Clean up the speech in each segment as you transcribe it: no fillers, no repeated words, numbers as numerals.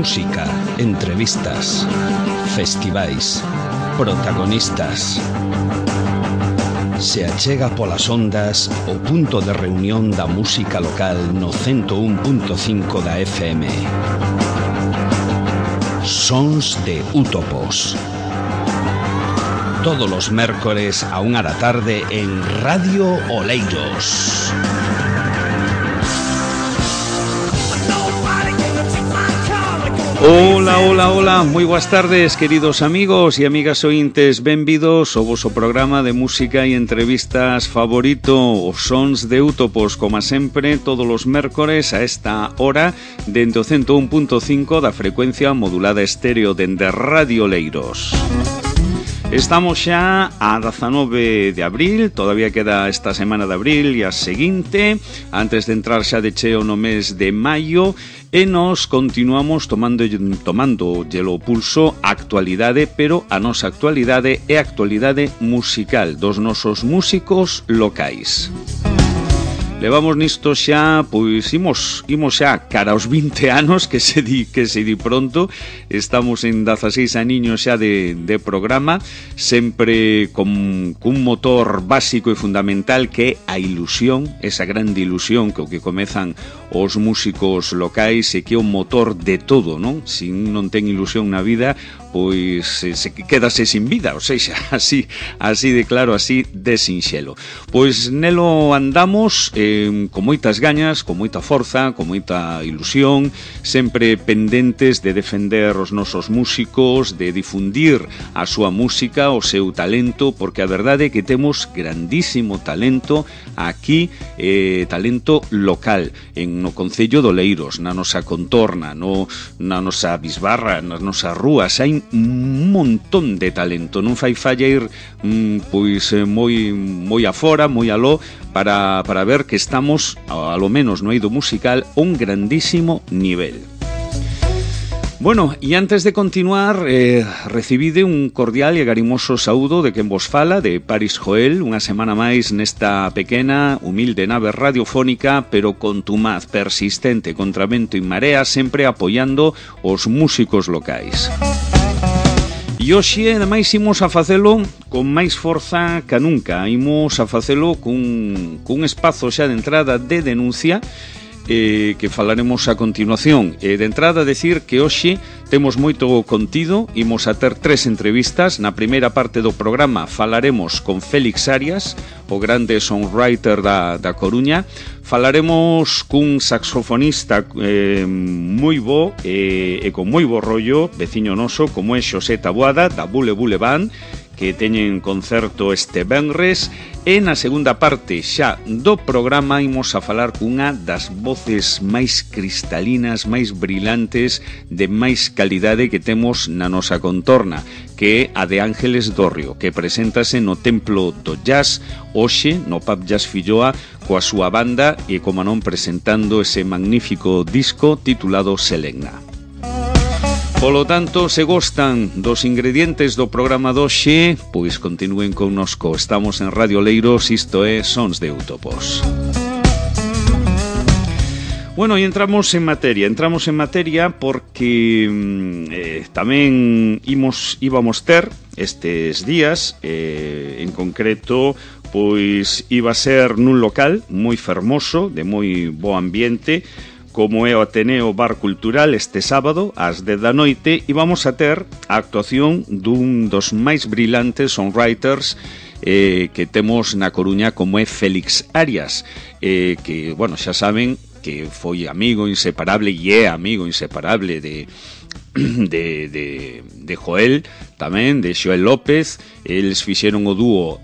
Música, entrevistas, festivais, protagonistas. Se achega polas ondas o punto de reunión da música local no 101.5 da FM. Sons de Útopos. Todos los mércores a 1 da tarde en Radio Oleiros. Hola, moi boas tardes, queridos amigos e amigas ointes, benvidos ao voso programa de música e entrevistas favorito, os Sons de Útopos, como sempre, todos os mércores a esta hora, dende o 101.5 da frecuencia modulada estéreo dende Radio Oleiros. Estamos xa a 19 de abril, todavía queda esta semana de abril e a seguinte, antes de entrar xa de cheo no mes de maio, e nos continuamos tomando o pulso a actualidade, pero a nosa actualidade é a actualidade musical dos nosos músicos locais. Levamos nisto xa, pois imos xa cara aos 20 anos, que se di pronto. Estamos en 16 aniños xa de programa, sempre con motor básico e fundamental que é a ilusión, esa grande ilusión que o que comezan os músicos locais e que é o motor de todo, non? Se non ten ilusión na vida, pois quédase sin vida, ou seja, así de claro, así de sinxelo. Pois nelo andamos con moitas gañas, con moita forza, con moita ilusión, sempre pendentes de defender os nosos músicos, de difundir a súa música, o seu talento, porque a verdade é que temos grandísimo talento aquí, talento local, no concello de Oleiros, na nosa contorna, na nosa bisbarra, nas nosas rúas, hai un montón de talento, non fai falla ir pois moi afora, moi aló, para ver que estamos, a lo menos no eido musical, a un grandísimo nivel. Bueno, e antes de continuar, recibide un cordial e agarimoso saúdo de quen vos fala, de Paris Joel, unha semana máis nesta pequena, humilde nave radiofónica, pero contumaz, persistente, contra vento e marea, sempre apoiando os músicos locais. E hoxe, ademais, imos a facelo con máis forza que nunca. Imos a facelo cun espazo xa de entrada de denuncia que falaremos a continuación. De entrada, decir que hoxe temos moito contido, imos a ter 3 entrevistas. Na primeira parte do programa falaremos con Félix Arias, o grande songwriter da Coruña. Falaremos cun saxofonista moi bo e con moi bo rollo, veciño noso, como é Xosé Taboada, da Bule Bule Band, que teñen concerto este venres. E na segunda parte xa do programa imos a falar cunha das voces máis cristalinas, máis brillantes, de máis calidade que temos na nosa contorna, que é a de Ángeles Dorrio, que preséntase no Templo do Jazz hoxe, no Pub Jazz Filloa, coa súa banda e, como non, presentando ese magnífico disco titulado Selegna. Polo tanto, se gostan dos ingredientes do programa doxe, pois continúen connosco. Estamos en Radio Oleiros, isto é Sons de Útopos. Bueno, e entramos en materia porque tamén íbamos ter estes días, en concreto, pois iba a ser nun local moi fermoso, de moi bo ambiente, como é o Ateneo Bar Cultural este sábado ás 10 da noite, e vamos a ter a actuación dun dos máis brillantes songwriters que temos na Coruña, como é Félix Arias, que, bueno, xa saben que foi amigo inseparable e é amigo inseparable de Joel, tamén, de Xoel López. Eles fixeron o dúo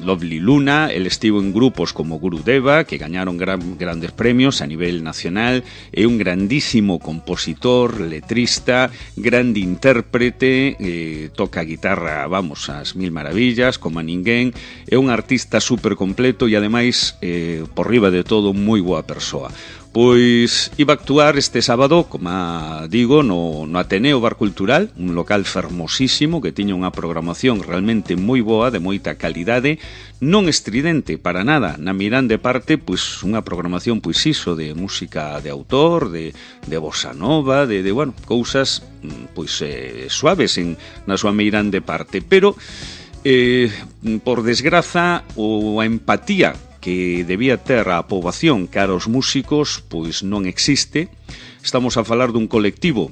Lovely Luna. El estivo en grupos como Gurudeva, que gañaron grandes premios a nivel nacional. É un grandísimo compositor, letrista, grande intérprete, toca a guitarra, vamos, ás mil maravillas, como a ninguén. É un artista super completo e, ademais, por riba de todo, moi boa persoa. Pois iba a actuar este sábado, como digo, no Ateneo Bar Cultural, un local fermosísimo que tiña unha programación realmente moi boa, de moita calidade, non estridente para nada. Na Mirande parte, pois unha programación pois iso de música de autor, de bossa nova, de bueno, cousas pois suaves na súa Mirande parte, pero por desgraza ou a empatía que debía ter a poboación cara aos músicos, pois non existe. Estamos a falar dun colectivo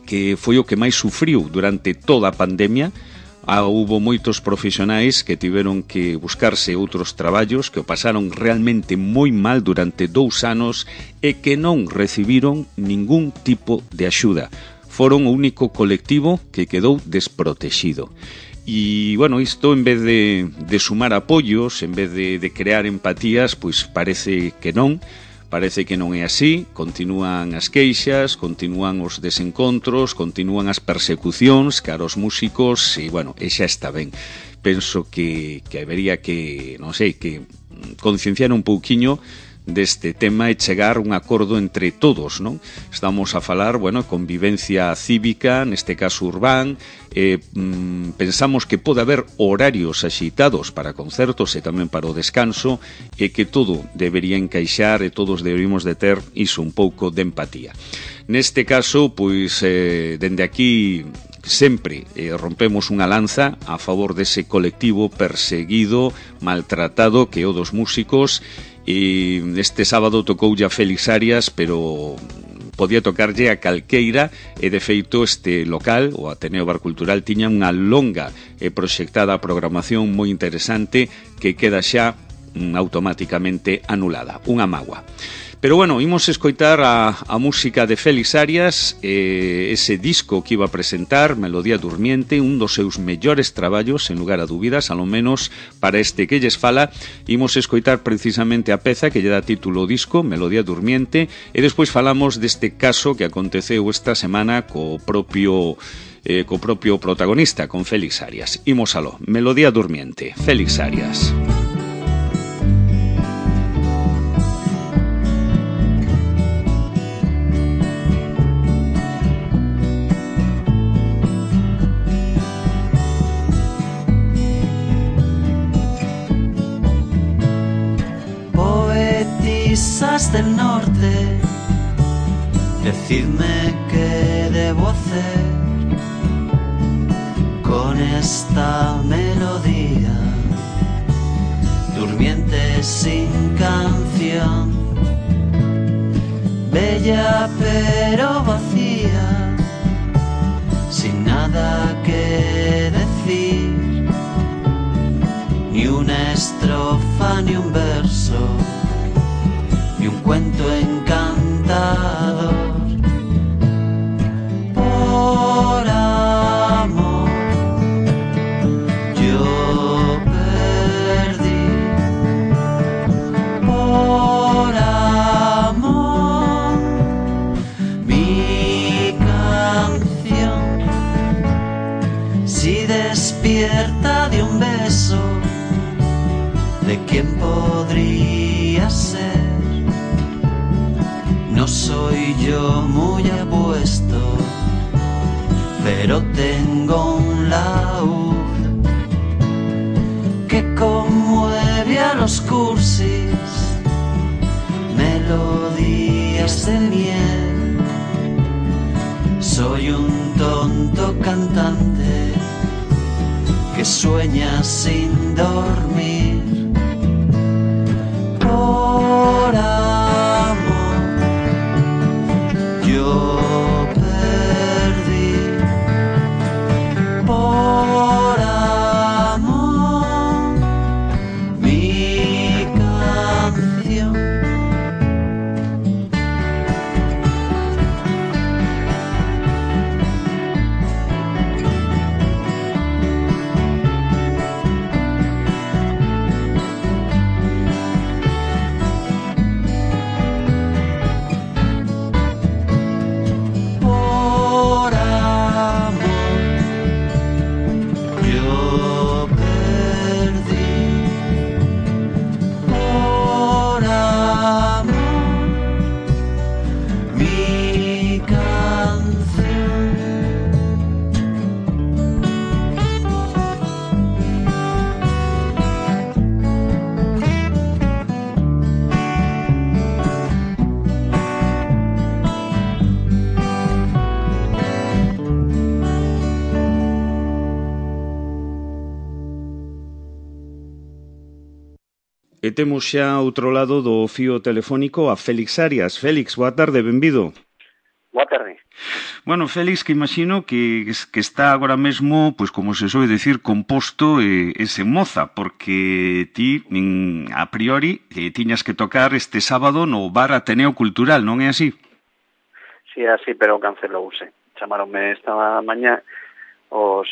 que foi o que máis sufriu durante toda a pandemia. Houbo moitos profesionais que tiveron que buscarse outros traballos, que o pasaron realmente moi mal durante 2 anos e que non recibiron ningún tipo de axuda. Foron o único colectivo que quedou desprotexido. E, bueno, isto en vez de sumar apoios, en vez de crear empatías, pois parece que non é así. Continúan as queixas, continúan os desencontros, continúan as persecucións cara aos músicos e, bueno, e xa está ben. Penso que habería que, non sei, que concienciar un pouquiño deste tema e chegar a un acordo entre todos, non? Estamos a falar, bueno, convivencia cívica, neste caso urbán, pensamos que pode haber horarios axitados para concertos e tamén para o descanso e que todo debería encaixar e todos deberíamos de ter iso, un pouco de empatía. Neste caso, pois, dende aquí sempre rompemos unha lanza a favor dese colectivo perseguido, maltratado que é o dos músicos. E este sábado tocoulle a Félix Arias, pero podía tocarlle a calqueira e de feito este local, o Ateneo Bar Cultural, tiña unha longa e proxectada programación moi interesante que queda xa automáticamente anulada, unha mágoa. Pero bueno, imos escoitar a música de Félix Arias, ese disco que iba a presentar, Melodía Durmiente, un dos seus mellores traballos, sen lugar a dúbidas, alo menos para este que lles fala. Imos escoitar precisamente a peza que lle dá título ao disco, Melodía Durmiente, e despois falamos deste caso que aconteceu esta semana co propio protagonista, con Félix Arias. Imos aló, Melodía Durmiente, Félix Arias. Del norte, decidme qué debo hacer con esta melodía durmiente sin canción, bella pero vacía, sin nada que decir, ni una estrofa ni un verso, ni un cuento encantador. Por amor yo perdí, por amor mi canción. Si despierta de un beso, ¿de quién podría ser? No soy yo muy apuesto, pero tengo un laúd que conmueve a los cursis, melodías de miel. Soy un tonto cantante que sueña sin dormir. Por yo perdí, por amor mi canción. E temos xa outro lado do fío telefónico a Félix Arias. Félix, boa tarde, benvido. Boa tarde. Bueno, Félix, que imagino que está agora mesmo, pois como se soe decir, composto ese moza, porque ti, a priori, tiñas que tocar este sábado no Bar Ateneo Cultural, non é así? Si é así, pero cancelouse. Chamaronme esta mañá os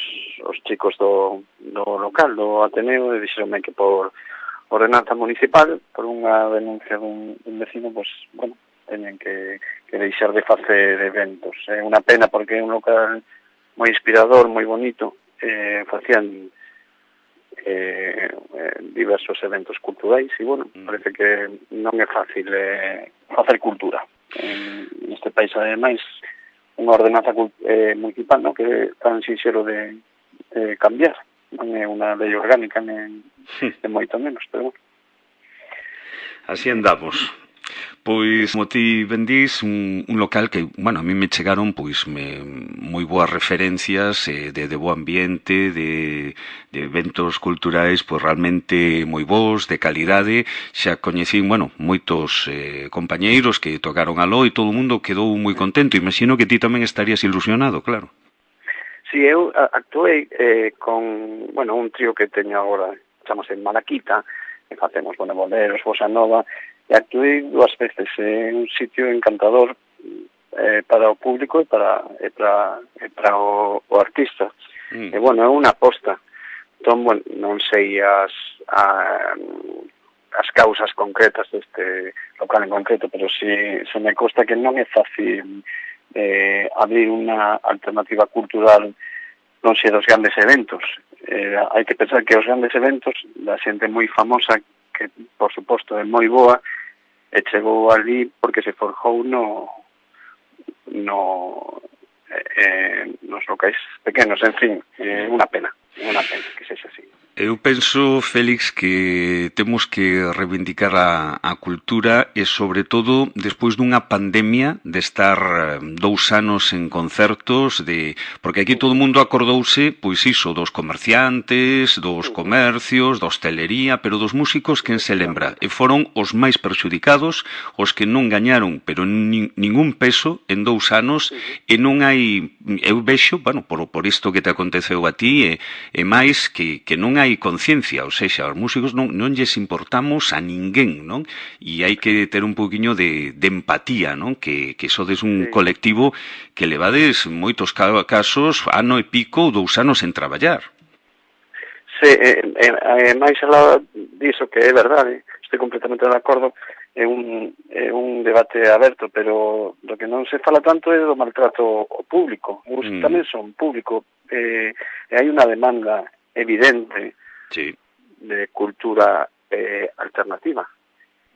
chicos do local, do Ateneo, e dixeronme que por ordenanza municipal, por unha denuncia dun vecino, pois, bueno, teñen que deixar de facer eventos. É unha pena porque é un local moi inspirador, moi bonito, facían diversos eventos culturais e, bueno, parece que non é fácil facer cultura. Neste país, ademais, unha ordenanza municipal, no, que é tan sinxelo de cambiar. Non é unha lei orgánica, nem moito menos, pero bueno. Así andamos. Pois, como ti ben dís, un local que, bueno, a mí me chegaron pois moi boas referencias de bo ambiente, de eventos culturais pois realmente moi bons, de calidade. Xa coñecín, bueno, moitos compañeiros que tocaron aló e todo o mundo quedou moi contento. Imagino que ti tamén estarías ilusionado, claro. Si, eu actuei con, bueno, un trío que teño agora, chamase Malaquita, que facemos, bueno, boleros, bossa nova, e actuei 2 veces en un sitio encantador para o público e para o artista. E, bueno, é unha aposta. Entón, bueno, non sei as causas concretas deste local en concreto, pero si me consta que non é fácil abrir unha alternativa cultural non sei dos grandes eventos. Hai que pensar que os grandes eventos da xente moi famosa, que por suposto é moi boa, e chegou ali porque se forjou nos locais pequenos, en fin, unha pena que sexa así. Eu penso, Félix, que temos que reivindicar a cultura e, sobre todo, despois dunha pandemia de estar 2 anos en concertos, porque aquí todo o mundo acordouse, pois iso, dos comerciantes, dos comercios, da hostelería, pero dos músicos quen se lembra. E foron os máis perxudicados, os que non gañaron, pero ningún peso en 2 anos, e non hai, eu vexo, bueno, por isto que te aconteceu a ti, e máis que non hai conciencia, ou seja, os músicos non lles importamos a ninguén, non? E hai que ter un poquinho de empatía, non? Que sodes un colectivo que levades moitos casos ano e pico ou 2 anos en traballar. Sí, máis alá diso que é verdade, estou completamente de acordo, é un debate aberto, pero do que non se fala tanto é do maltrato ao público. Os tamén son público, e hai unha demanda evidente de cultura alternativa.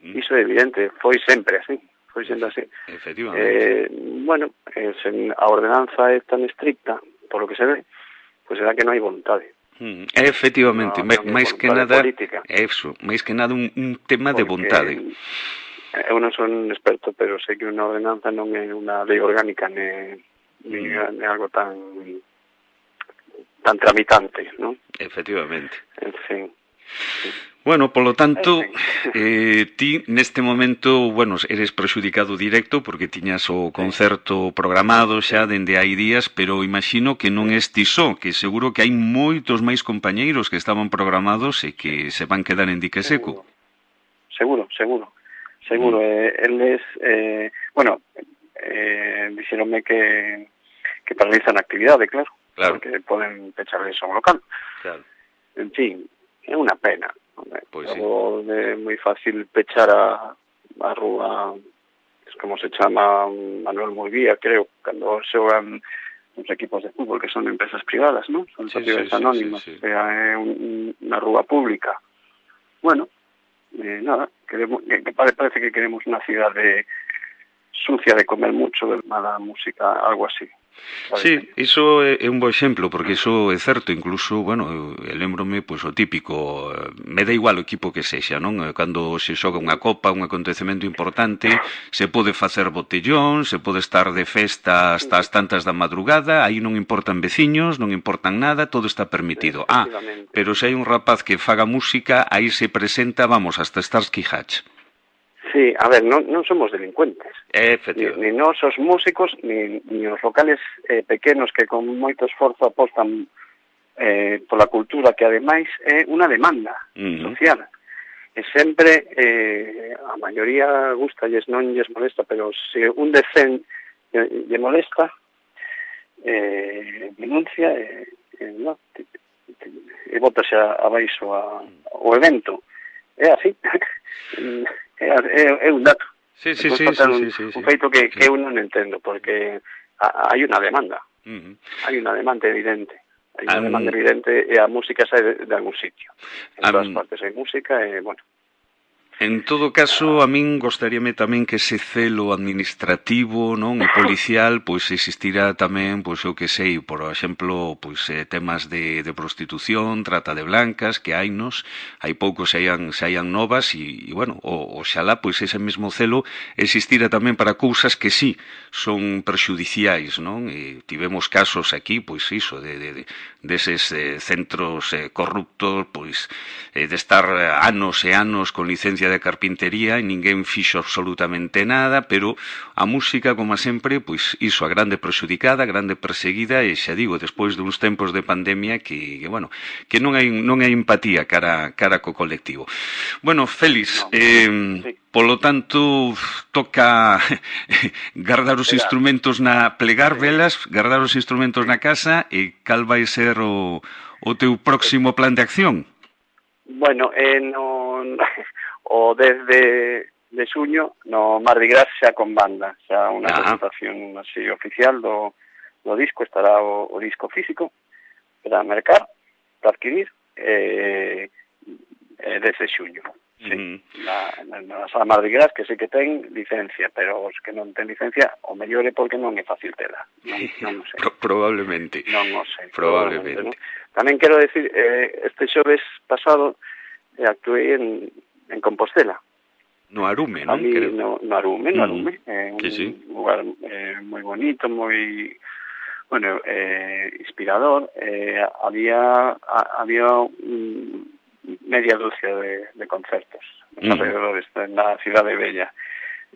Iso é evidente, foi sempre así. Efectivamente. Bueno, a ordenanza é tan estricta, por lo que se ve, pois será que non hai vontade. Efectivamente, máis que nada é eso, máis que nada un tema de vontade. Eu non son experto, pero sei que unha ordenanza non é unha lei orgánica ni algo tan tramitante, non? Efectivamente. En fin. Bueno, polo tanto, ti neste momento, bueno, eres prexudicado directo porque tiñas o concerto programado xa dende hai días, pero imagino que non es ti só, que seguro que hai moitos máis compañeiros que estaban programados e que se van quedar en dique seco. Seguro. Eles, bueno, dixeronme que paralizan a actividade, claro. Porque poden pecharles a un local. Claro. En fin, é unha pena. Pois sí. É moi fácil pechar a rúa, como se chama, Manuel Murguía, creo, cando xogan os equipos de fútbol, que son empresas privadas, non? Son sociedades anónimas. Sí. É unha rúa pública. Bueno, nada, parece que queremos unha cidade sucia de comer mucho, de mala música, algo así. Sí, iso é un bo exemplo, porque iso é certo, incluso, bueno, eu lembrome, pois, o típico, me dá igual o equipo que sexa, non? Cando se xoga unha copa, un acontecemento importante, se pode facer botellón, se pode estar de festa hasta as tantas da madrugada, aí non importan veciños, non importan nada, todo está permitido. Pero se hai un rapaz que faga música, aí se presenta, vamos, hasta Starsky Hatch. Sí, a ver, non somos delincuentes. Efectivamente. Ni nós os músicos, ni os locales pequenos que con moito esforzo apostan pola cultura, que ademais é unha demanda social. E sempre, a maioría gustalles, non lles molesta, pero se un de 100 lle molesta, denuncia e bótase abaixo o evento. É así. É un dato. Sí. Un feito que eu non entendo, porque hai unha demanda. Hai unha demanda evidente. Hai unha demanda evidente e a música sae de algún sitio. En todas partes hai música e, bueno. En todo caso, a min gostaríame tamén que ese celo administrativo, non, e policial, pois existirá tamén, pois eu que sei, por exemplo, pois temas de prostitución, trata de blancas, que hainos, hai poucos se haian novas e bueno, oxalá pois ese mesmo celo existira tamén para cousas que sí son perxudiciais, non? E tivemos casos aquí, pois iso, deses centros corruptos, pois de estar anos e anos con licencia de carpintería e ninguén fixo absolutamente nada, pero a música, como sempre, pois iso, a grande prexudicada, a grande perseguida, e xa digo, despois duns tempos de pandemia que bueno, que non hai empatía cara co colectivo. Bueno, Félix, polo tanto, toca guardar os instrumentos plegar velas, guardar os instrumentos na casa, e cal vai ser o teu próximo plan de acción? Bueno, o 10 de xuño no Mardi Gras xa con banda, xa unha presentación así oficial do disco, estará o disco físico para mercar, para adquirir, 10 de xuño. Sí, na sala Mardi Gras, que sei que ten licencia, pero os que non ten licencia, o mellor é porque non é fácil tela. Non sei. Probablemente. Non o sei. Probablemente. ¿No? Tamén quero decir, este xoves pasado actuei en Compostela. No Arume, non? No Arume. Un lugar moi bonito, moi, bueno, inspirador. Había media dúcia de concertos alrededor na cidade bella.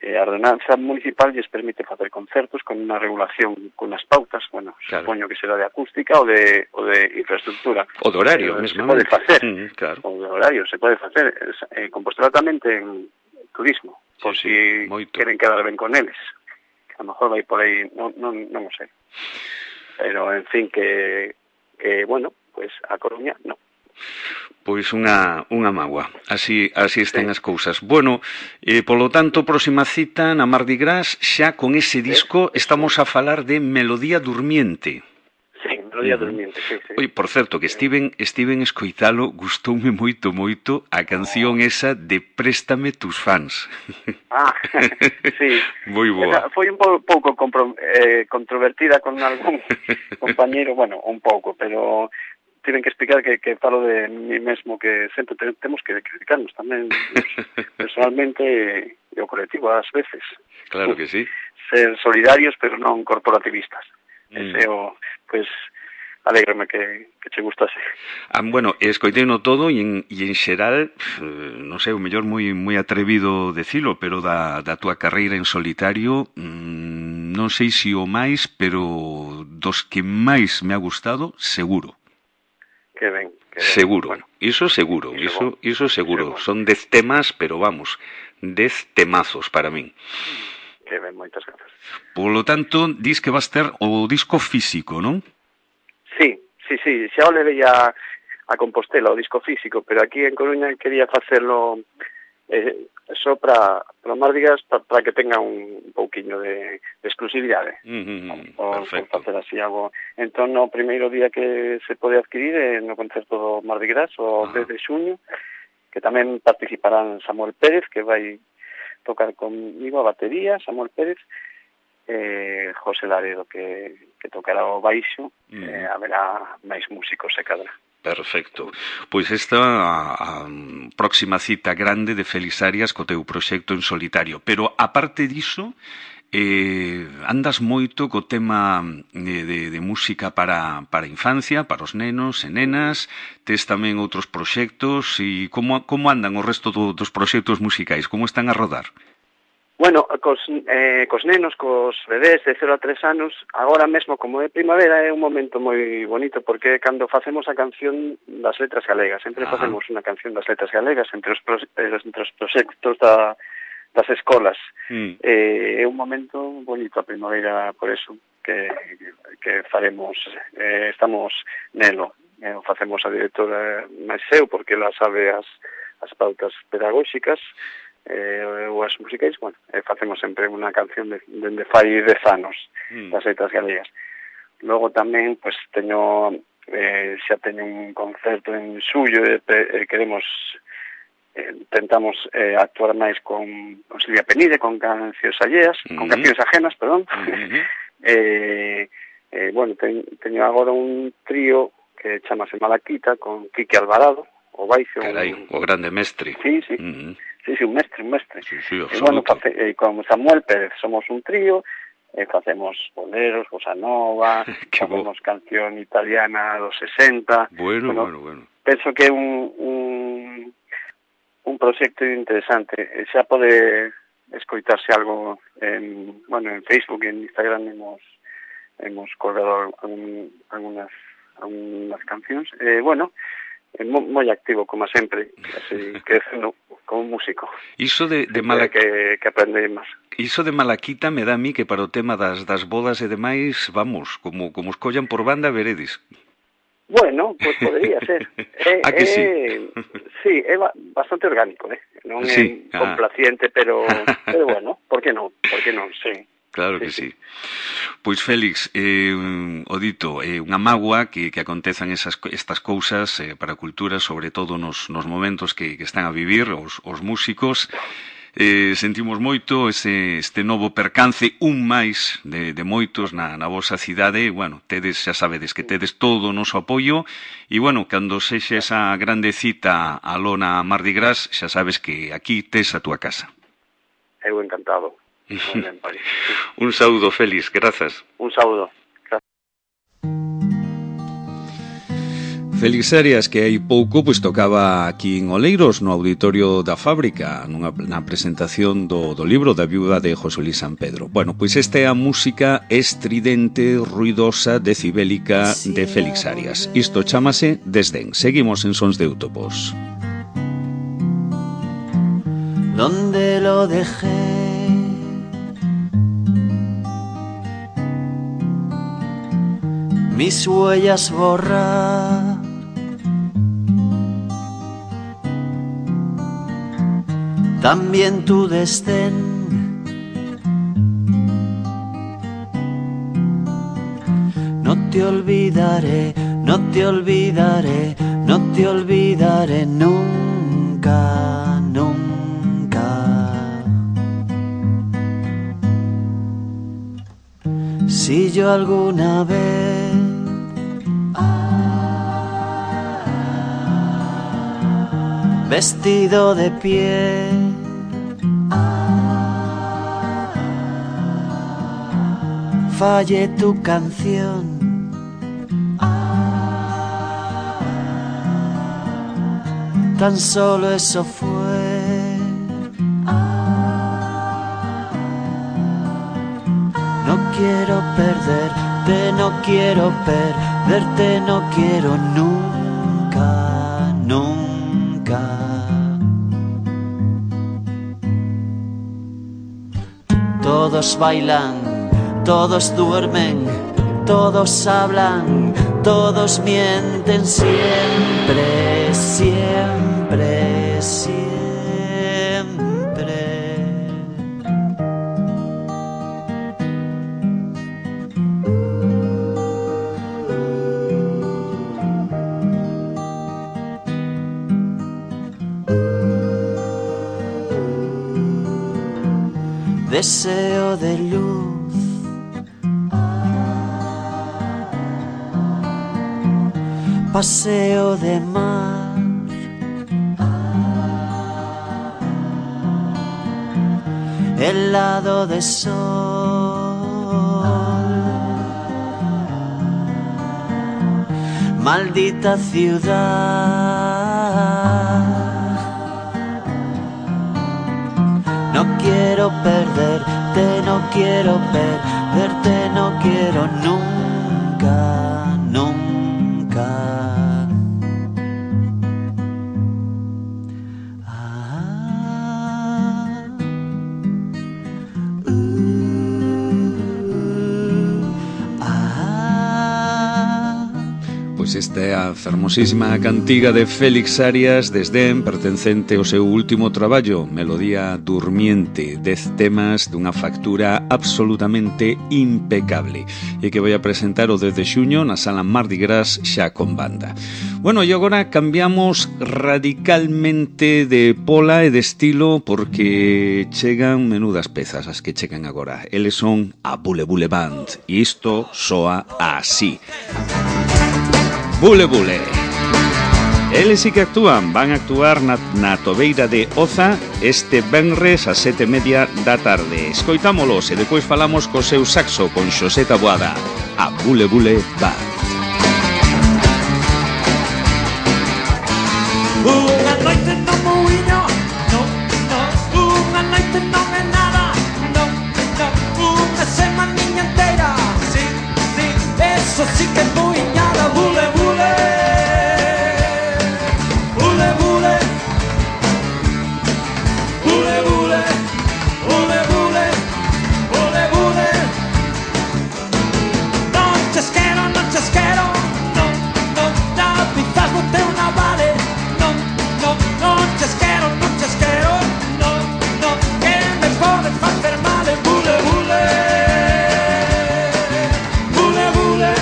A ordenanza municipal lles permite facer concertos con unha regulación, con unas pautas, bueno, supoño que será de acústica ou de infraestructura. O de horario, mesmo. Se pode facer. Claro. O de horario, se pode facer. Compostela tamén ten turismo, por si queren quedar ben con eles. A lo mejor vai por aí, non o sei. Pero, en fin, que bueno, pues a Coruña, non. Pois unha mágoa, así están as cousas. Bueno, polo tanto, próxima cita na Mardi Gras, xa con ese disco estamos a falar de Melodía Durmiente. Sí, Melodía Durmiente, sí. Oi, por certo, que estiven escoitalo, gustoume moito a canción esa de Préstame tus fans. Sí. Moi boa. Foi un pouco controvertida con algún compañeiro, bueno, un pouco, pero tiven que explicar que falo de mí mesmo, que sempre temos que criticarnos tamén personalmente e o colectivo ás veces. Claro que sí. Ser solidarios, pero non corporativistas. Ese pues, alégrame que che gustase. Bueno, escoiteino todo e en xeral, non sei, o mellor moi atrevido decilo, pero da túa carreira en solitario, non sei se o máis, pero dos que máis me ha gustado, seguro. Que ben. Seguro, bueno, iso seguro, iso seguro. Son 10 temas, pero vamos, 10 temazos para min. Que ben, moitas grazas. Polo tanto, dis que vas ter o disco físico, non? Sí, xa o levei a Compostela, o disco físico, pero aquí en Coruña quería facerlo só para Mardi Gras, para que tenga un pouquiño de exclusividade. Perfecto. Facer así algo. Entón, no primeiro día que se pode adquirir no concerto do Mardi Gras, o 10 de xuño, que tamén participarán Samuel Pérez, que vai tocar comigo a batería, Samuel Pérez, José Laredo, que tocará o baixo, haberá máis músicos se cadra. Perfecto. Pois esta a próxima cita grande de Félix Arias co teu proxecto en solitario. Pero, aparte diso, andas moito co tema de música para a infancia, para os nenos e nenas, tes tamén outros proxectos, e como andan o resto dos proxectos musicais? Como están a rodar? Bueno, cos nenos, cos bebés de 0 a 3 anos, agora mesmo, como é primavera, é un momento moi bonito, porque cando facemos a canción das letras galegas, sempre facemos unha canción das letras galegas entre os proxectos das escolas. É un momento bonito a primavera, por eso que faremos, estamos nelo. Facemos a directora máis eu, porque ela sabe as pautas pedagóxicas, ou as musicais, bueno, facemos sempre unha canción dende fai 10 anos das letras galegas. Logo tamén, pois, xa teño un concerto en xullo e queremos tentamos actuar máis con Silvia Penide, con cancións alleas, con cancións ajenas, perdón. Bueno, teño agora un trío que chamase Malaquita, con Quique Alvarado, o baixo. Carai, o grande mestre. Sí, un mestre. Sí, e bueno, con Samuel Pérez somos un trío, facemos boleros, bossa nova, facemos canción italiana dos 60. Bueno. Penso que é un proxecto interesante. Xa pode escoitarse algo en Facebook e en Instagram hemos colgado algunhas cancións. Bueno, moi activo, como sempre, así crecendo como músico. Iso de que aprende máis. Iso de Malaquita me dá a mí que para o tema das bodas e demais, vamos, como os collan por banda, veredes. Bueno, pues podría ser. Que sí? Sí, é bastante orgánico, non é complaciente, pero bueno, por que non, sí. Claro que sí. Pois, Félix, o dito, unha mágoa que acontezan estas cousas para a cultura, sobre todo nos momentos que están a vivir os músicos. Sentimos moito este novo percance, un máis de moitos na vosa cidade. Bueno, xa sabedes que tedes todo o noso apoio, e bueno, cando sexe esa grande cita a lona Mardi Gras, xa sabes que aquí tes a túa casa. Eu encantado. Un saúdo, Félix, grazas. Un saúdo. Félix Arias, que hai pouco tocaba aquí en Oleiros, no auditorio da Fábrica, na presentación do libro da viúva de José Luis San Pedro. Bueno, pois esta é a música estridente, ruidosa, decibélica de Félix Arias. Isto chámase Desdén. Seguimos en Sons de Útopos. ¿Dónde lo dejé? Mis huellas borrar, también tu desdén. No te olvidaré, no te olvidaré, no te olvidaré nunca, nunca. Si yo alguna vez vestido de piel falle tu canción, tan solo eso fue. No quiero perderte, no quiero perderte, no quiero nunca, nunca. Todos bailan, todos duermen, todos hablan, todos mienten siempre, siempre, siempre. Deseo de luz, paseo de mar, helado de sol, maldita ciudad. No quiero perderte, no quiero perderte, no quiero nunca, nunca. Pois esta é a fermosísima cantiga de Félix Arias Desdén, pertencente ao seu último traballo, Melodía Durmiente, 10 temas dunha factura absolutamente impecable, e que vai a presentar o 10 de xuño na Sala Mardi Gras xa con banda. Bueno, e agora cambiamos radicalmente de pola e de estilo, porque chegan menudas pezas as que chegan agora. Eles son a Bule Bule Band, e isto soa así. Bule Bule. Eles sí que actúan, van a actuar na Tobeira de Oza este venres a 7:30 da tarde. Escoitámolos e depois falamos co seu saxo con Xosé Taboada, a Bule Bule Band. Unha noite no muiño, no, no. Unha noite non é nada, no, no. Unha semaniña inteira, sí, sí. Eso sí que é muiñada, bule, bule. Bule, bule. Bule, bule. Bule, bule. Bule, bule. Non chesquero, no, no, no. Quizás no te una vale. No chesquero, no, no, que me podes facer mal, bule, bule. Bule, bule.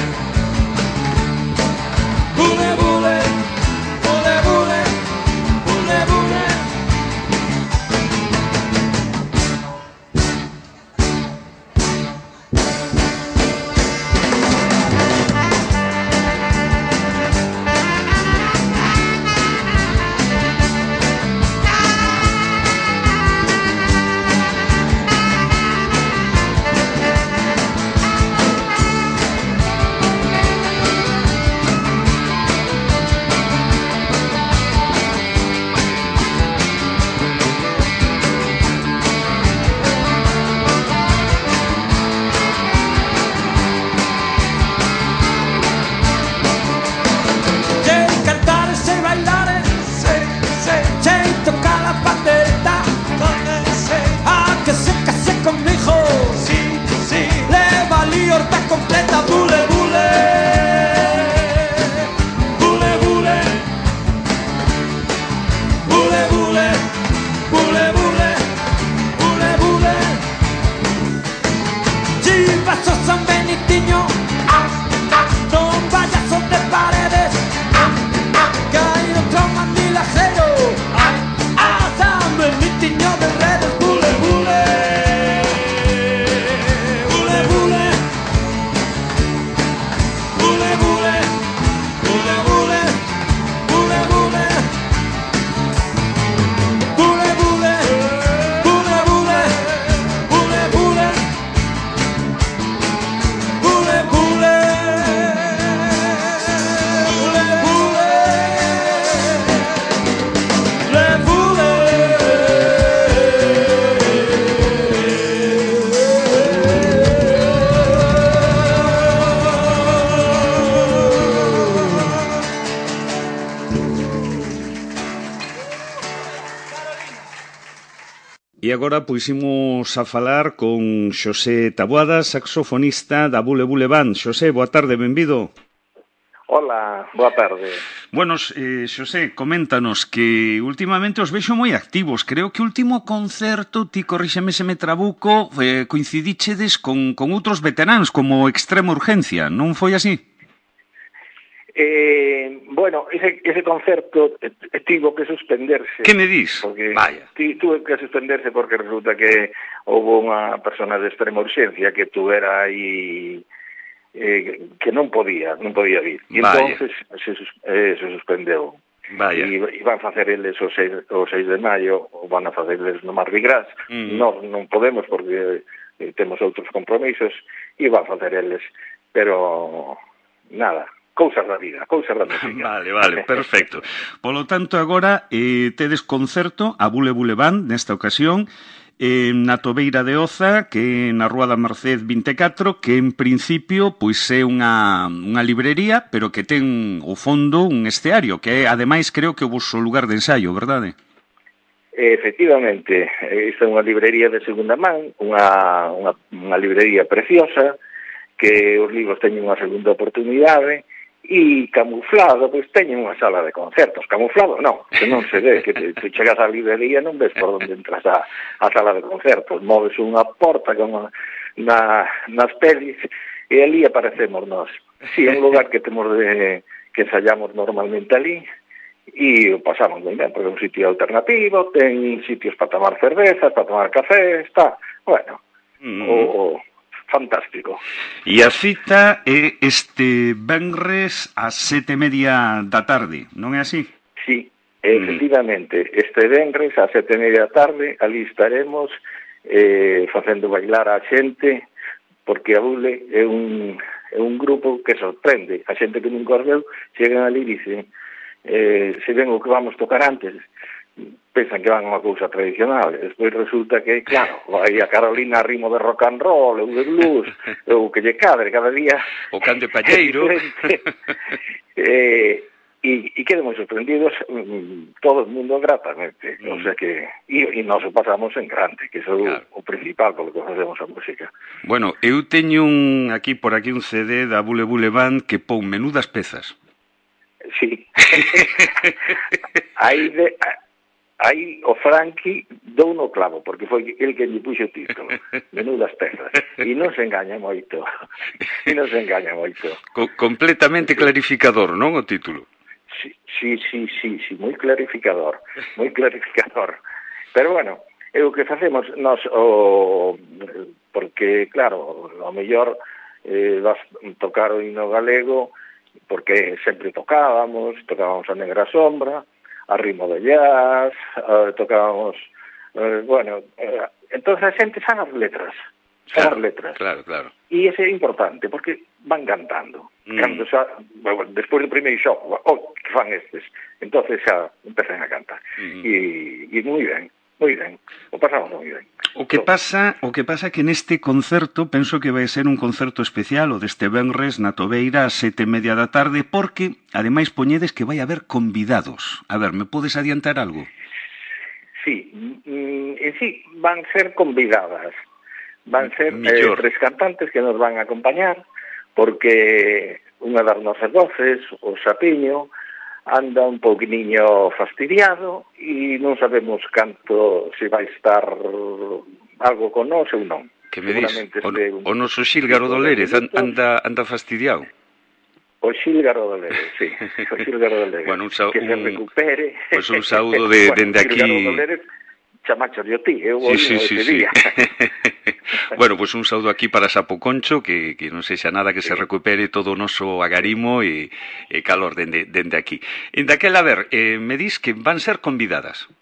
Bule, bule. Bule, bule. Bule, bule. Completa, bule, bule. Bule, bule. Bule, bule. Bule, bule. Bule, bule. Chivazo San Benitiño. Non vayas sobre paredes. Que hay otro mandilajero. San Benitiño de redes. Bule, bule. Bule, bule. Bule, bule, bule, bule, bule, bule. Bule, bule, bule, bule, bule, bule. Bule, bule. Bule, bule. Bule, bule. E agora puximos a falar con Xosé Taboada, saxofonista da Bule Bule Band. Xosé, boa tarde, benvido. Hola, boa tarde. Bueno, Xosé, coméntanos que últimamente os vexo moi activos. Creo que o último concerto, ti corríxeme se me trabuco, coincidíchedes con outros veteráns como Extrema Urgencia, non foi así? Bueno, ese concerto tivo que suspenderse. Que me dis? Porque Vaya. Tuve que suspenderse porque resulta que houve unha persona de extrema urgencia que tuvera aí que non podía vir. E entonces se suspendeu. Vaya. E van facer eles o 6 de maio, ou van a facer eles no Mardi Gras. Non podemos porque temos outros compromisos, e van facer eles, pero nada, cousas da vida, cousas da música. Vale, perfecto. Polo tanto, agora tedes concerto a Bule Bule Band nesta ocasión na Tobeira de Oza, que na Rúa da Merced 24, que en principio pois é unha librería, pero que ten ao fondo un esteario, que é, ademais, creo que o vosso lugar de ensaio, verdade? Efectivamente, esta é unha librería de segunda man, unha librería preciosa, que os libros teñen unha segunda oportunidade, e camuflado, pois teñen unha sala de concertos. Camuflado non, que non se ve, que tu chegas á librería non ves por onde entras a sala de concertos, moves unha porta como nas pelis e ali aparecemos nós. Si, é un lugar que temos que ensayamos normalmente ali e o pasamos moi ben, porque é un sitio alternativo, ten sitios para tomar cervezas, para tomar café, está, bueno, fantástico. E a cita é este venres ás 7:30 da tarde, non é así? Sí, efectivamente, este venres ás 7:30 da tarde, ali estaremos facendo bailar a xente, porque a Bule é un grupo que sorprende. A xente que nunca os veu, chegan ali e dicen, se ven o que vamos tocar antes, pensan que van a unha cousa tradicional, despois resulta que, claro, vai a Carolina a ritmo de rock and roll, ou de blues, ou que lle cadre cada día. O can de palleiro. E quedamos sorprendidos, todo o mundo gratamente, o sea que, e nos o pasamos en grande, que iso é o principal polo que facemos a música. Bueno, eu teño por aquí un CD da Bule Bule Band que pon menudas pezas. Sí. Aí o Frankie dou no clavo, porque foi el que lle puxo o título. Menudas pezas. E non se engaña moito. Completamente clarificador, non, o título? Sí, moi clarificador. Pero bueno, é o que facemos nós, porque, claro, ao mellor vas tocar o himno galego, porque sempre tocábamos a Negra Sombra, a ritmo de jazz, tocábamos, entonces a xente sabe as letras. Claro. E ese é importante, porque van cantando. Cando despois do primeiro shock, que fan estes? Entonces xa empezan a cantar. E moi ben. O pasamos moi ben. O que pasa que neste concerto, penso que vai ser un concerto especial, o deste venres na Tobeira ás 7:30 da tarde, porque, ademais, poñedes que vai haber convidados. A ver, me podes adiantar algo? Sí, van ser convidadas. Van ser 3 cantantes que nos van a acompañar, porque unha das nosas voces, o Sapiño, anda un pouquinho fastidiado e non sabemos canto se vai estar algo con nós ou non. Que me dis, o noso Xílgaro Dolérez anda fastidiado. O Xílgaro Dolérez, sí. O Xílgaro Dolérez. Bueno, que se recupere. Pois un saúdo dende aquí. Xílgaro Dolérez, chamacho de ti, eu oíno ese día. Bueno, pois un saúdo aquí para Sapo Concho, que non sexa nada, que se recupere todo o noso agarimo e calor dende aquí. En daquela, a ver, me dis que van ser convidadas.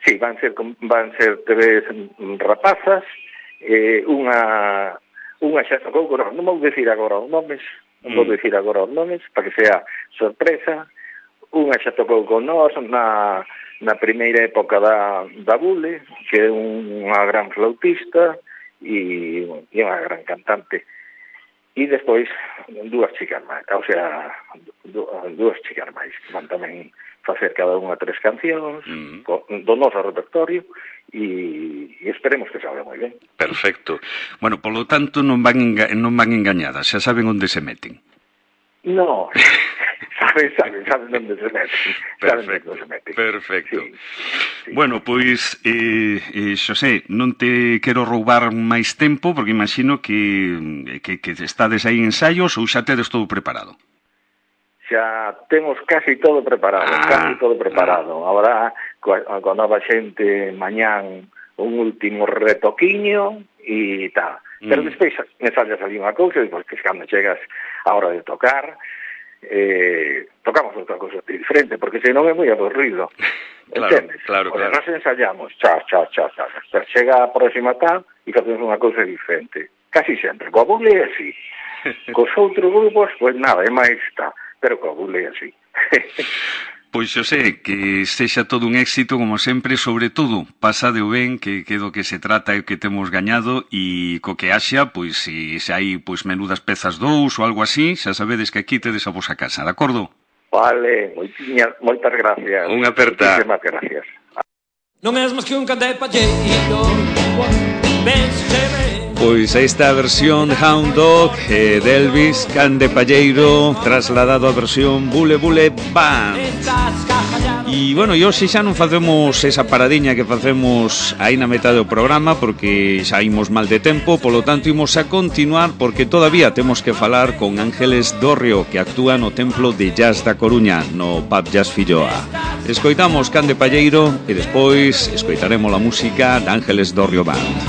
Sí, van ser 3 rapazas, unha xa tocou con nós, non vou dicir agora os nomes, para que sea sorpresa. Unha xa tocou con nós na primeira época da Bule, que é unha gran flautista e unha gran cantante. E despois 2 chicas máis, o sea, 2 chicas máis, que van tamén facer cada unha 3 cancións do noso repertorio e esperemos que salga moi ben. Perfecto. Bueno, polo tanto non van engañadas, xa saben onde se meten. No, saben onde se meten. Perfecto. Sí. Bueno, pois, Xosé, non te quero roubar máis tempo, porque imagino que estades aí en ensaios ou xa tedes todo preparado. Xa temos casi todo preparado. Agora, coa nova xente, mañán, un último retoquiño e tal. Pero despois ensallas ali unha cousa, e porque cando chegas a hora de tocar, tocamos outra cousa diferente, porque senón é moi aburrido. Entendes? Claro. Nos ensayamos, cha. Pero chega a próxima tal e facemos unha cousa diferente. Casi sempre. Coa bule é así. Cos outros grupos, pois nada, é máis tal. Pero coa bule é así. Pois Xosé, que sexa todo un éxito como sempre, sobre todo pasade o ben, que do que se trata e que temos gañado, e co que haxa, pois se hai pois menudas pezas dous ou algo así, xa sabedes que aquí tedes a vosa casa, de acordo? Vale, moitas gracias. Unha aperta. Moitísimas gracias. Non és máis que un candepalleiro, vénseme. Pois aí está a versión Hound Dog de Elvis, Can de Palleiro, trasladado a versión Bule Bule Band. E, bueno, e hoxe xa non facemos esa paradiña que facemos aí na metade do programa, porque xa imos mal de tempo, polo tanto imos a continuar, porque todavía temos que falar con Ángeles Dorrio, que actúa no Templo de Jazz da Coruña, no Pub Jazz Filloa. Escoitamos Can de Palleiro e despois escoitaremos a música de Ángeles Dorrio Band.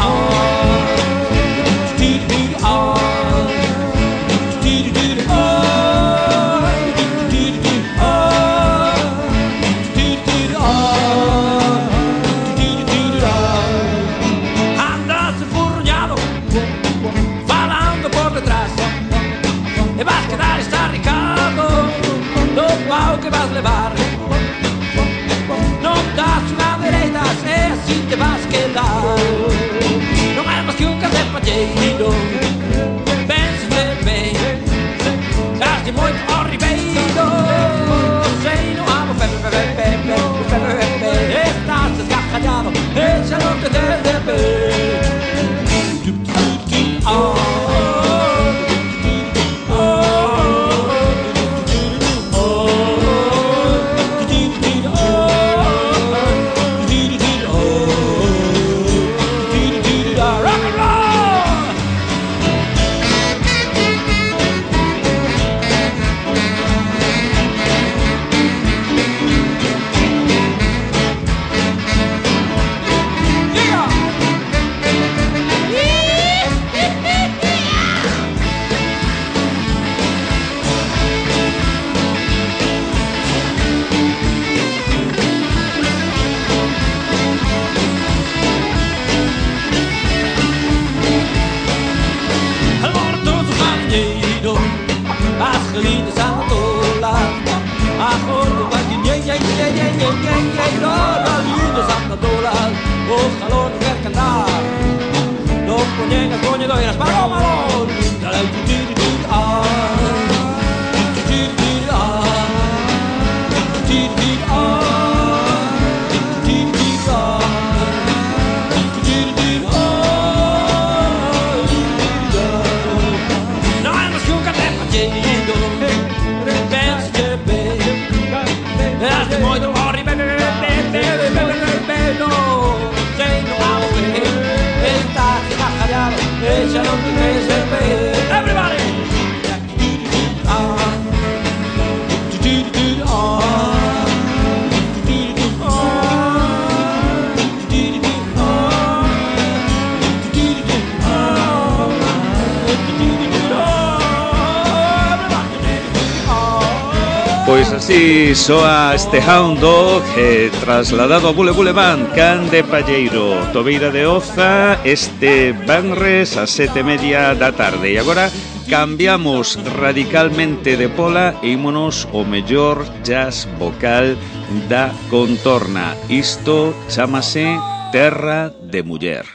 Que vas levar, non das unha dereita, e así te vas quedar. Non é máis que un candepalleiro, vénseme ben, daste moito ao ribeiro, sei non amo pepe, estás descajallado, e xa non te des de ver. Pois así soa este Hound Dog trasladado a Bule Bule Band, Can de Palleiro, Tobeira de Oza, este venres a 7:30 da tarde. E agora cambiamos radicalmente de pola e ímonos o mellor jazz vocal da contorna. Isto chámase Terra de Muller.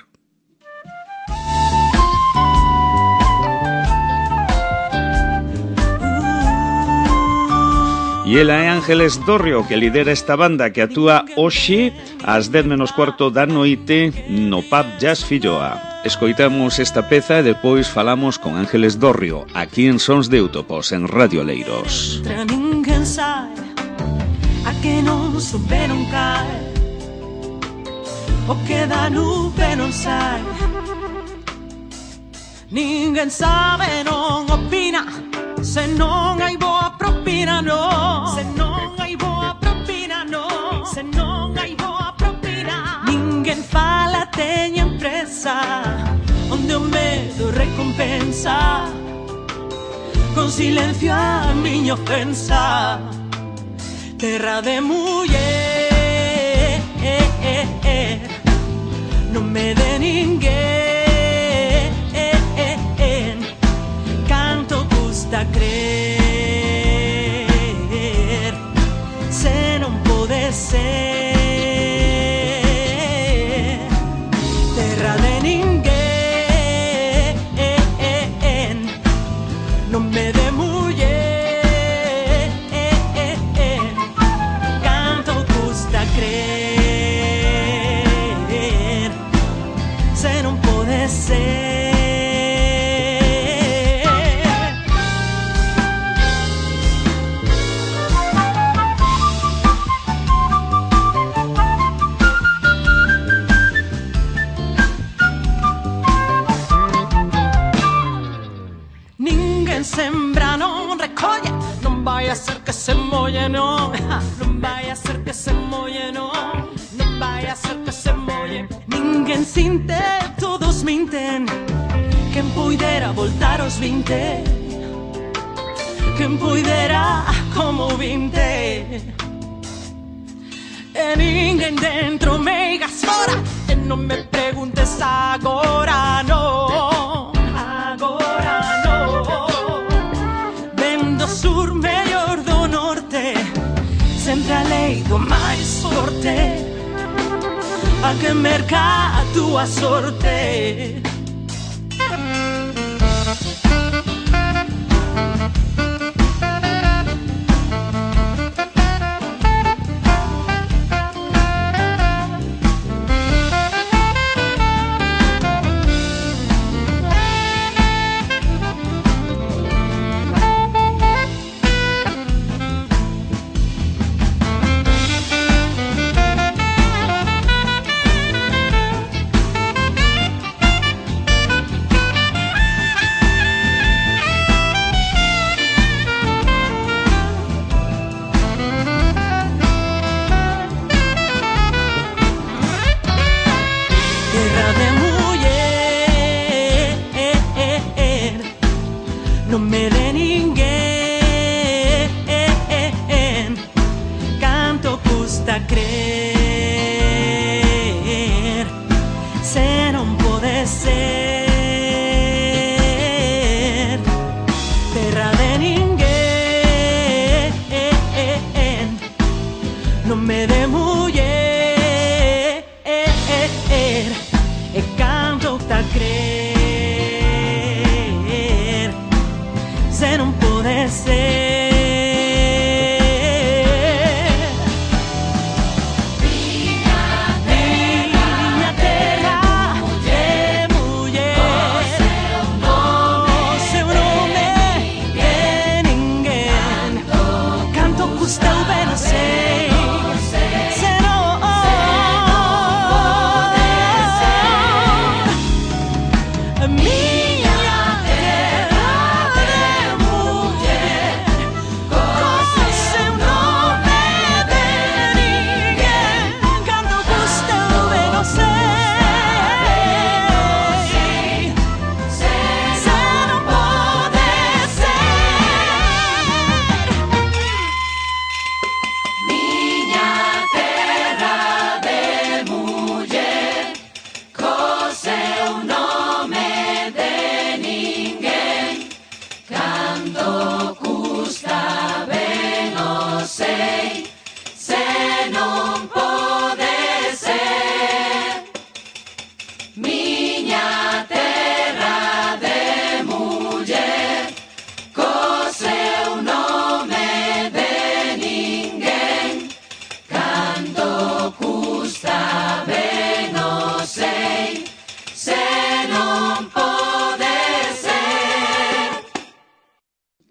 E ela é Ángeles Dorrio, que lidera esta banda que actúa hoxe ás 10:15 da noite no Pub Jazz Filloa. Escoitamos esta peza e depois falamos con Ángeles Dorrio, aquí en Sons de Útopos, en Radio Leiros. Ninguén sabe a que non souberon caer, o que da nube non sai. Ninguén sabe, non opina, se non hai boa propina, no. Se non hai boa propina, no. Se non hai boa propina. Ninguén fala, teñen presa, onde o medo pensa, con silencio a miña ofensa. Terra de muller, non me de ninguén, canto custa crer, se non pode ser. Terra de ninguén, non me de muller, canto custa crer, se non pode ser. Ninguén sembra, non recolle, non vai a ser que se molle, non. Non vai a ser que se molle, non. Non vai a ser que se molle. Ninguén sinte, todos minten. Quen puidera voltar aos 20, quen puidera como 20. E ninguén dentro, meigas fora, e non me preguntes agora, non. Agora non. Vendo sur mellor do norte, sempre a lei do máis forte, a que merca a túa sorte. Non me de ninguén, canto custa crer, se non pode ser. Terra de ninguén, non me de muller, e canto custa crer, se non pode ser. Miña terra de muller, o seu nome de ninguén, canto custa o ben a sei, se non pode ser. Miña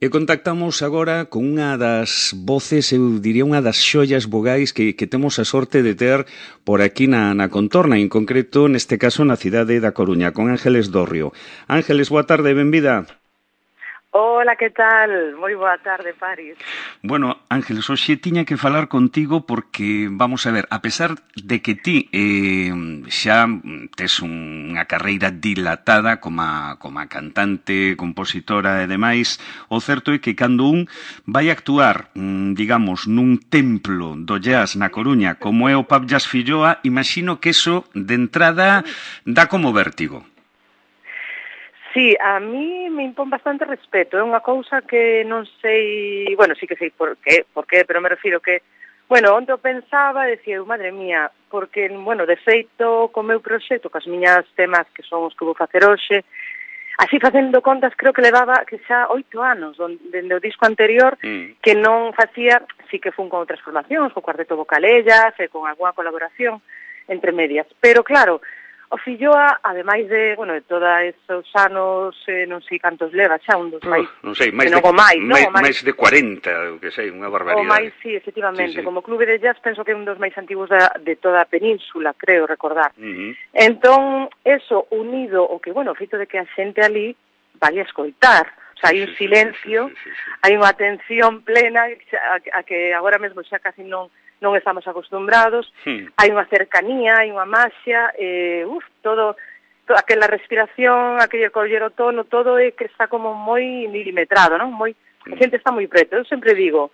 E contactamos agora con unha das voces, eu diría unha das xollas vogais que temos a sorte de ter por aquí na contorna, en concreto, neste caso, na cidade da Coruña, con Ángeles Dorrio. Ángeles, boa tarde, benvida. Hola, que tal? Moi boa tarde, Paris. Bueno, Ángeles, hoxe tiña que falar contigo porque, vamos a ver, a pesar de que ti xa tes unha carreira dilatada como cantante, compositora e demais, o certo é que cando un vai actuar, digamos, nun templo do jazz na Coruña, como é o Pub Jazz Filloa, imagino que eso, de entrada, dá como vértigo. Sí, a mí me impón bastante respeto, é unha cousa que non sei, bueno, sí que sei por qué, pero me refiro que, bueno, onde eu pensaba, decía, madre mía, porque, bueno, de feito, co meu proxecto, cas miñas temas que son os que vou facer hoxe, así facendo contas, creo que levaba que xa 8 anos, dende o disco anterior, que non facía, sí que fun con outras formacións, co Cuarteto Vocalellas, e con alguna colaboración entre medias, pero claro, o Filloa, ademais de, bueno, de todos esos anos, non sei cantos leva, xa un dos máis... Non sei, máis de 40, que sei, unha barbaridade. O máis, sí, efectivamente, sí. Como clube de jazz penso que é un dos máis antigos de toda a península, creo recordar. Entón, eso unido o que, bueno, o feito de que a xente ali vale a escoitar, o sea, hai un silencio, hai unha atención plena a que agora mesmo xa casi non estamos acostumbrados, hai unha cercanía, hai unha maxia, todo aquela respiración, aquele coller o tono, todo é que está como moi milimetrado, non? A xente está moi preto. Eu sempre digo,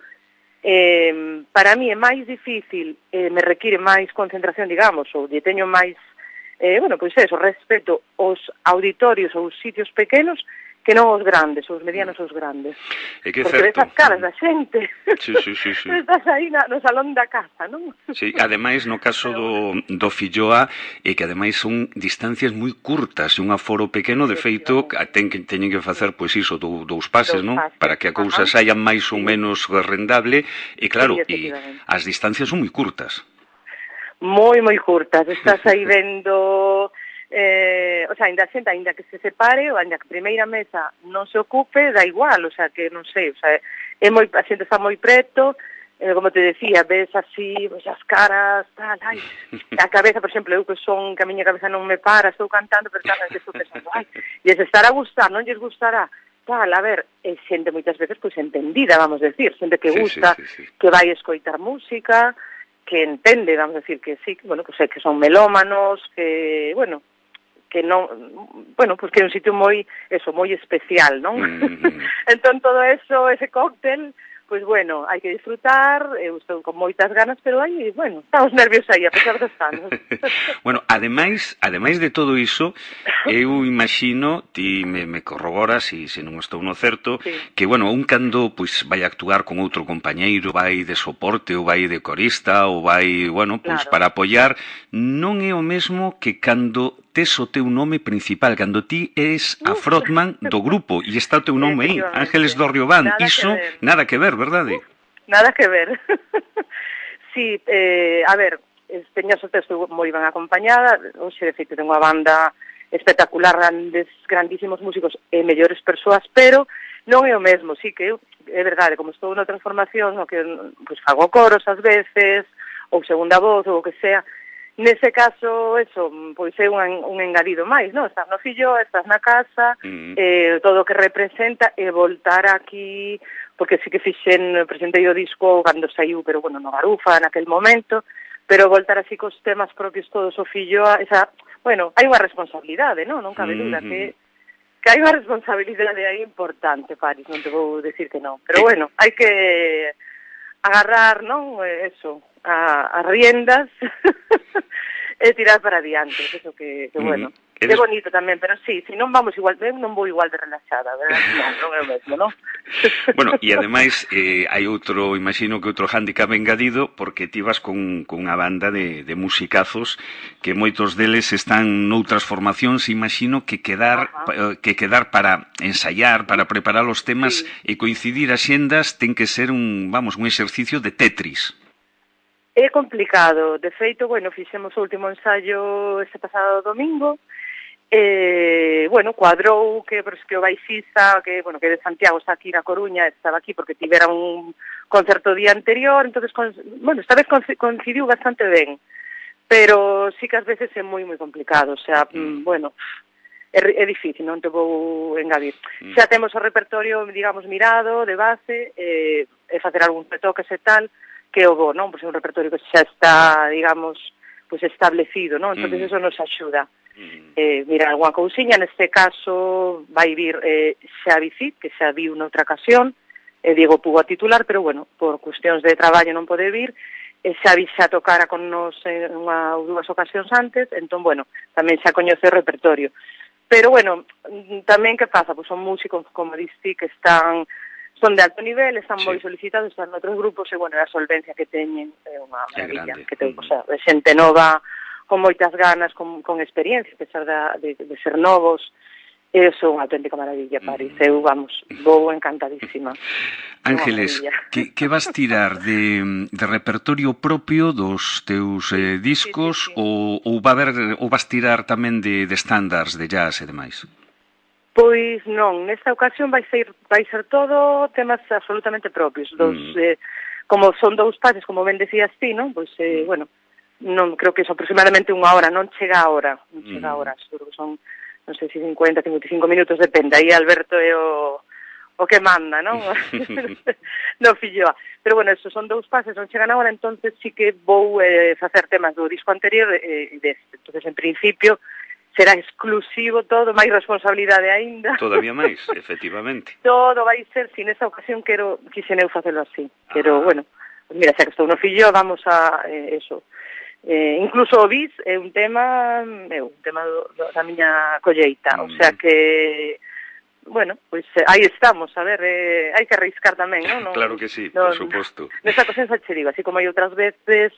para mí é máis difícil, me require máis concentración, digamos, ou lle teño máis, bueno, pois eso, respeto os auditorios ou os sitios pequenos que non os grandes, os medianos ou os grandes. É que porque ves as caras da xente. Sí. Estás aí no salón da casa, non? Sí, ademais, no caso do Filloa, é que ademais son distancias moi curtas, e un aforo pequeno, de feito, teñen que facer, pois iso, dous pases, non? Para que a cousa saia máis ou menos rendable, e claro, e as distancias son moi curtas. Moi curtas. Estás aí vendo... o sea, ainda que se separe, ou ainda que a primeira mesa non se ocupe, dá igual, o sea, que non sei, o sea, a xente está moi preto, como te decía, ves así, pues, as caras, tal, ai, a cabeza, por exemplo, eu que a miña cabeza non me para, estou cantando, pero tal, estou pensando, ai, lles estará a gustar, non lles gustará, tal, a ver, é xente moitas veces, pois, entendida, vamos a decir, xente que gusta, que vai escoitar música, que entende, vamos a decir, que sí, bueno, pues, que son melómanos, que, bueno, que non, bueno, pues que é un sitio moi especial, non? Entón todo eso, ese cóctel, pues bueno, hai que disfrutar, eu estou con moitas ganas, pero aí, bueno, estamos nervios aí, a pesar dos anos. Bueno, ademais de todo iso, eu imagino, ti me corroboras, se non estou no certo, que, bueno, un cando, pois, vai actuar con outro compañeiro, vai de soporte, ou vai de corista, ou vai, bueno, pois, para apoiar, non é o mesmo que cando tes o teu nome principal, cando ti és a frontman do grupo e está o teu nome aí, Ángeles do Riobán, iso nada que ver, verdade? Nada que ver. Sí, a ver, teño a sorte, estou moi ben acompañada, hoxe de feito tengo unha banda espectacular, grandísimos músicos e mellores persoas, pero non é o mesmo, sí que é verdade, como estou na transformación, que pues, fago coros ás veces, ou segunda voz, ou o que sea. Nese caso, eso, pois é un engadido máis, non? Estás no Filloa, estás na casa, todo o que representa, e voltar aquí, porque sí que presentei o disco cando saiu, pero bueno, no Garufa, naquel momento, pero voltar así cos temas propios todos o Filloa, bueno, hai unha responsabilidade, non? Non cabe duda que hai unha responsabilidade aí importante, Paris, non te vou decir que non, pero bueno, hai que agarrar, non? Eso, as riendas e tirar para adiante, eso que bueno, é bonito tamén, pero sí, se non vamos igual, non vou igual de relaxada, verdad? Non é o mesmo, non? Bueno, e ademais hai outro, imagino que outro hándicap engadido, porque ti vas con unha banda de musicazos que moitos deles están noutras formacións, imagino que quedar para ensaiar, para preparar os temas e coincidir as xendas ten que ser un exercicio de Tetris. É complicado, de feito, bueno, fixemos o último ensaio este pasado domingo, bueno, cuadrou que o baixista, que de Santiago está aquí na Coruña, estaba aquí porque tivera un concerto o día anterior, entonces, bueno, esta vez coincidiu bastante ben, pero sí que ás veces é moi complicado, o sea, bueno, é difícil, non te vou engadir. Xa temos o repertorio, digamos, mirado, de base, e facer algún retoques e tal, que o bo, non? Pois é un repertorio que xa está, digamos, pois establecido, non? Entón, eso nos axuda. Mira, alguna cousiña, neste caso vai vir Xavi Cid, que xa viu noutra ocasión, Diego Pugo a titular, pero bueno, por cuestións de traballo non pode vir, Xavi xa tocara con nos en unha ou dúas ocasións antes, entón, bueno, tamén xa coñece o repertorio. Pero, bueno, tamén que pasa? Pois son músicos, como diste, que son de alto nivel, están moi solicitados, están noutros grupos, e, bueno, a solvencia que teñen é unha maravilla, que ten, o sea, de xente nova, con moitas ganas, con experiencia, a pesar de ser novos, eso é unha auténtica maravilla, París. Eu, vamos, vou encantadísima. Ángeles, que vas tirar de repertorio propio dos teus discos ou vas tirar tamén de estándares de jazz e demais? Pois non, nesta ocasión vai ser todo temas absolutamente propios. Como son 2 pases, como ben decías ti, non? Pois, bueno, non creo que é aproximadamente unha hora, non chega a hora, seguro que son, non sei se 50, 55 minutos, depende, aí Alberto é o que manda, non? No filloa. Pero, bueno, eso son 2 pases, non chegan a hora, entonces sí que vou facer temas do disco anterior e deste. Entonces, en principio, será exclusivo todo, máis responsabilidade aínda. Todavía máis, efectivamente. Todo vai ser, si nesa ocasión quixen eu facelo así. Pero, bueno, mira, xa que estou no fillo, vamos a eso. Incluso o bis é un tema da miña colleita, o sea que, bueno, pois aí estamos, a ver, hai que arriscar tamén, non? Claro que sí, por suposto. Nesta ocasión xa che digo, así como hai outras veces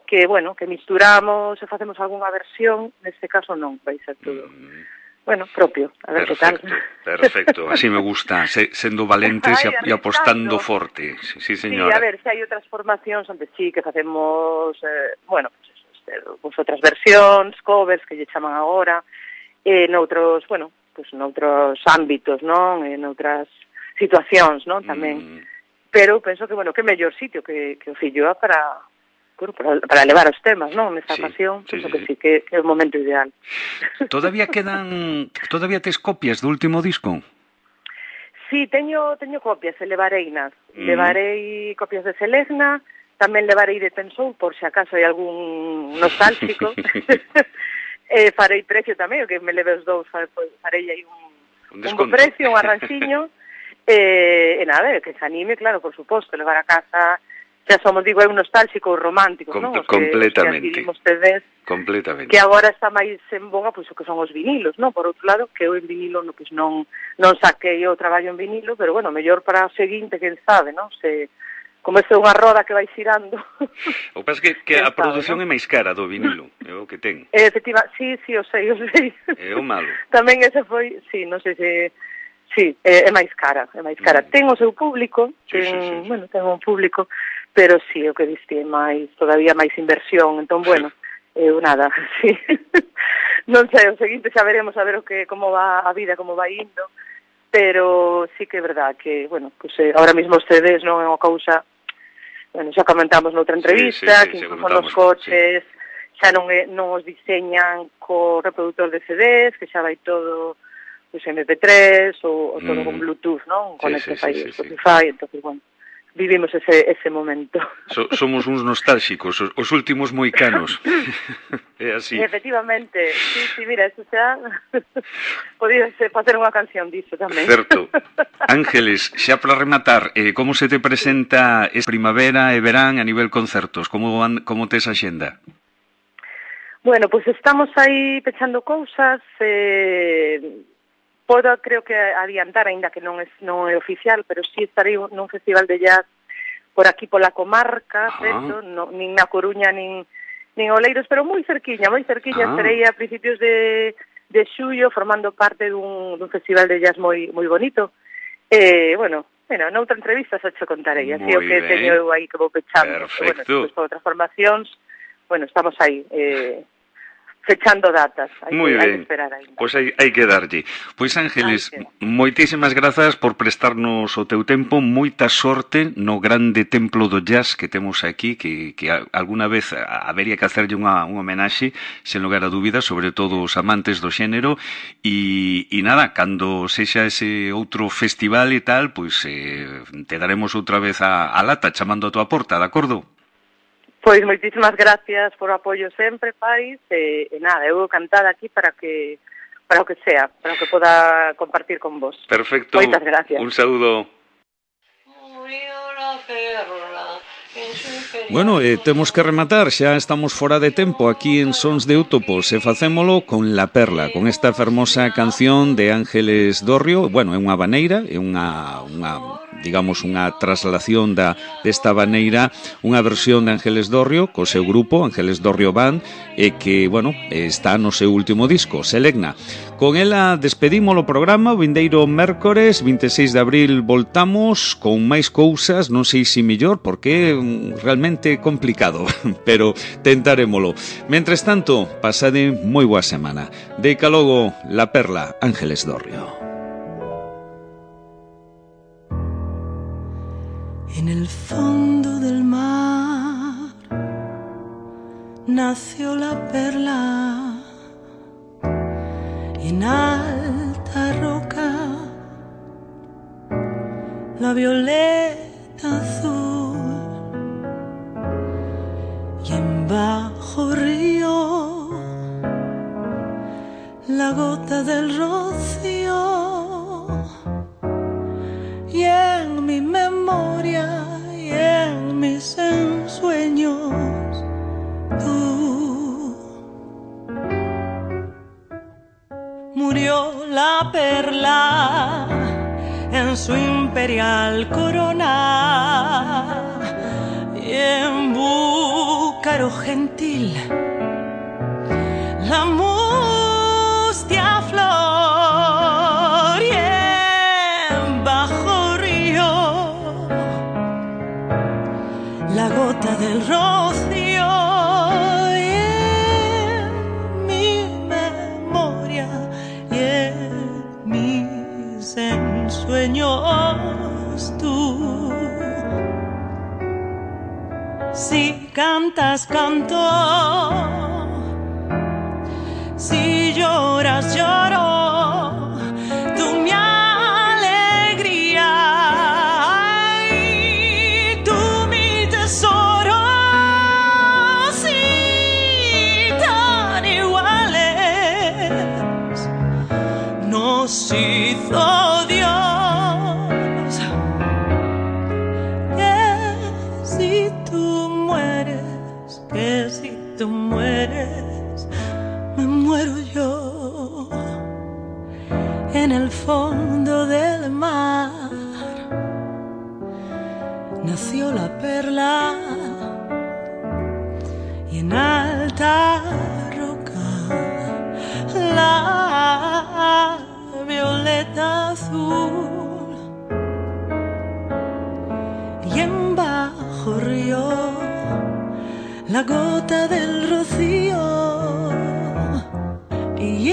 que, bueno, que misturamos e facemos algunha versión, neste caso non, vai ser todo, bueno, propio, a ver que tal. Perfecto, así me gusta, sendo valentes e apostando forte, sí, señora. Sí, a ver, se hai outras formacións onde sí que facemos, bueno, pues outras versións, covers, que lle chaman agora, noutros, bueno, pues noutros ámbitos, non? Noutras situacións, non? Tamén. Pero penso que, bueno, que mellor sitio que o Filloa para levar os temas, non? Nesta ocasión, penso que sí, que é o momento ideal. Todavía tes copias do último disco? Sí, teño copias, e levareinas. Levarei copias de Selezna, tamén levarei de Tensou, por se acaso hai algún nostálxico. Farei precio tamén, o que me leve os 2, farei aí un bo precio, un arranxiño. E nada, que se anime, claro, por suposto, levar a casa. Xa somos, digo, é un nostálxico romántico, non? Completamente. Completamente. Que agora está máis en boga, pois, o que son os vinilos, non? Por outro lado, que eu en vinilo pois, non saquei o traballo en vinilo, pero, bueno, mellor para o seguinte, quen sabe, non? Como é unha roda que vai xirando. O que pasa que a produción é máis cara do vinilo, é o que ten. Efectivamente, sí, o sei. É o malo. Tamén ese foi, sí, non sei se... Sí, é máis cara. Ten o seu público, bueno, ten un público, pero sí, o que diste é todavía máis inversión, entón, bueno, nada, sí. Non sei, o seguinte xa veremos a ver como va a vida, como vai indo, pero sí que é verdad que, bueno, pues ahora mismo os CDs non é unha cousa, bueno, xa comentamos noutra entrevista, que incluso nos coches xa non os diseñan co reproductor de CDs, que xa vai todo pues MP3 ou todo con Bluetooth, non? Conectas aí Spotify, entonces, bueno, vivimos ese momento. Somos uns nostálxicos, os últimos moicanos. É así. Efectivamente, sí, mira, eso xa podía facer unha canción disso tamén. Certo. Ángeles, xa para rematar, como se te presenta primavera e verán a nivel concertos? Como tes a xenda? Bueno, pues estamos aí pechando cousas, podo, creo que adiantar, aínda que non é oficial, pero sí estarei nun festival de jazz por aquí pola comarca, certo? Nin na Coruña, nin Oleiros, pero moi cerquiña, estarei a principios de xullo formando parte dun festival de jazz moi bonito. Bueno, noutra entrevista xa che contarei, así o que teño eu aí que vou pechando. Perfecto. Bueno, despois por outras formacións, bueno, estamos aí, fechando datas. Hai que esperar aí. Pois hai que darlle. Pois Ángeles, moitísimas grazas por prestarnos o teu tempo, moita sorte no grande templo do jazz que temos aquí, que alguna vez habería que hacerlle unha homenaxe, sen lugar a dúbidas, sobre todo os amantes do xénero, e nada, cando sexa ese outro festival e tal, pois te daremos outra vez a lata chamando a tua porta, de acordo? Pois moitísimas gracias por o apoio sempre, Paris, e nada, eu cantada aquí para o que sea, para o que poda compartir con vos. Perfecto. Moitas gracias. Un saúdo. Bueno, temos que rematar, xa estamos fora de tempo aquí en Sons de Útopos e facémolo con La Perla, con esta fermosa canción de Ángeles Dorrio. Bueno, é unha habaneira, é unha digamos, unha traslación desta habaneira, unha versión de Ángeles Dorrio co seu grupo, Ángeles Dorrio Band, e que, bueno, está no seu último disco, Selegna. Con ela despedimos o programa, o vindeiro mércores, 26 de abril, voltamos con máis cousas, non sei se mellor, porque é realmente complicado, pero tentarémolo. Mentres tanto, pasade moi boa semana. Deica logo La Perla, Ángeles Dorrio. En el fondo del mar nació la perla y en alta roca la violeta azul y en bajo río la gota del rocío. Y en mi memoria y en mis ensueños tú. Murió la perla en su imperial corona y en Búcaro gentil la mustia flor y en bajo río la gota del rocío y en mi memoria y en mis ensueños tú. Si cantas, canto. Si lloras, lloro, tú mi alegría, ay, tú mi tesoro, sí, tan iguales nos hizo Dios, que si tú mueres, me muero yo en el fondo del mar. Nació la perla y en alta roca la violeta azul y en bajo río la gota del rocío y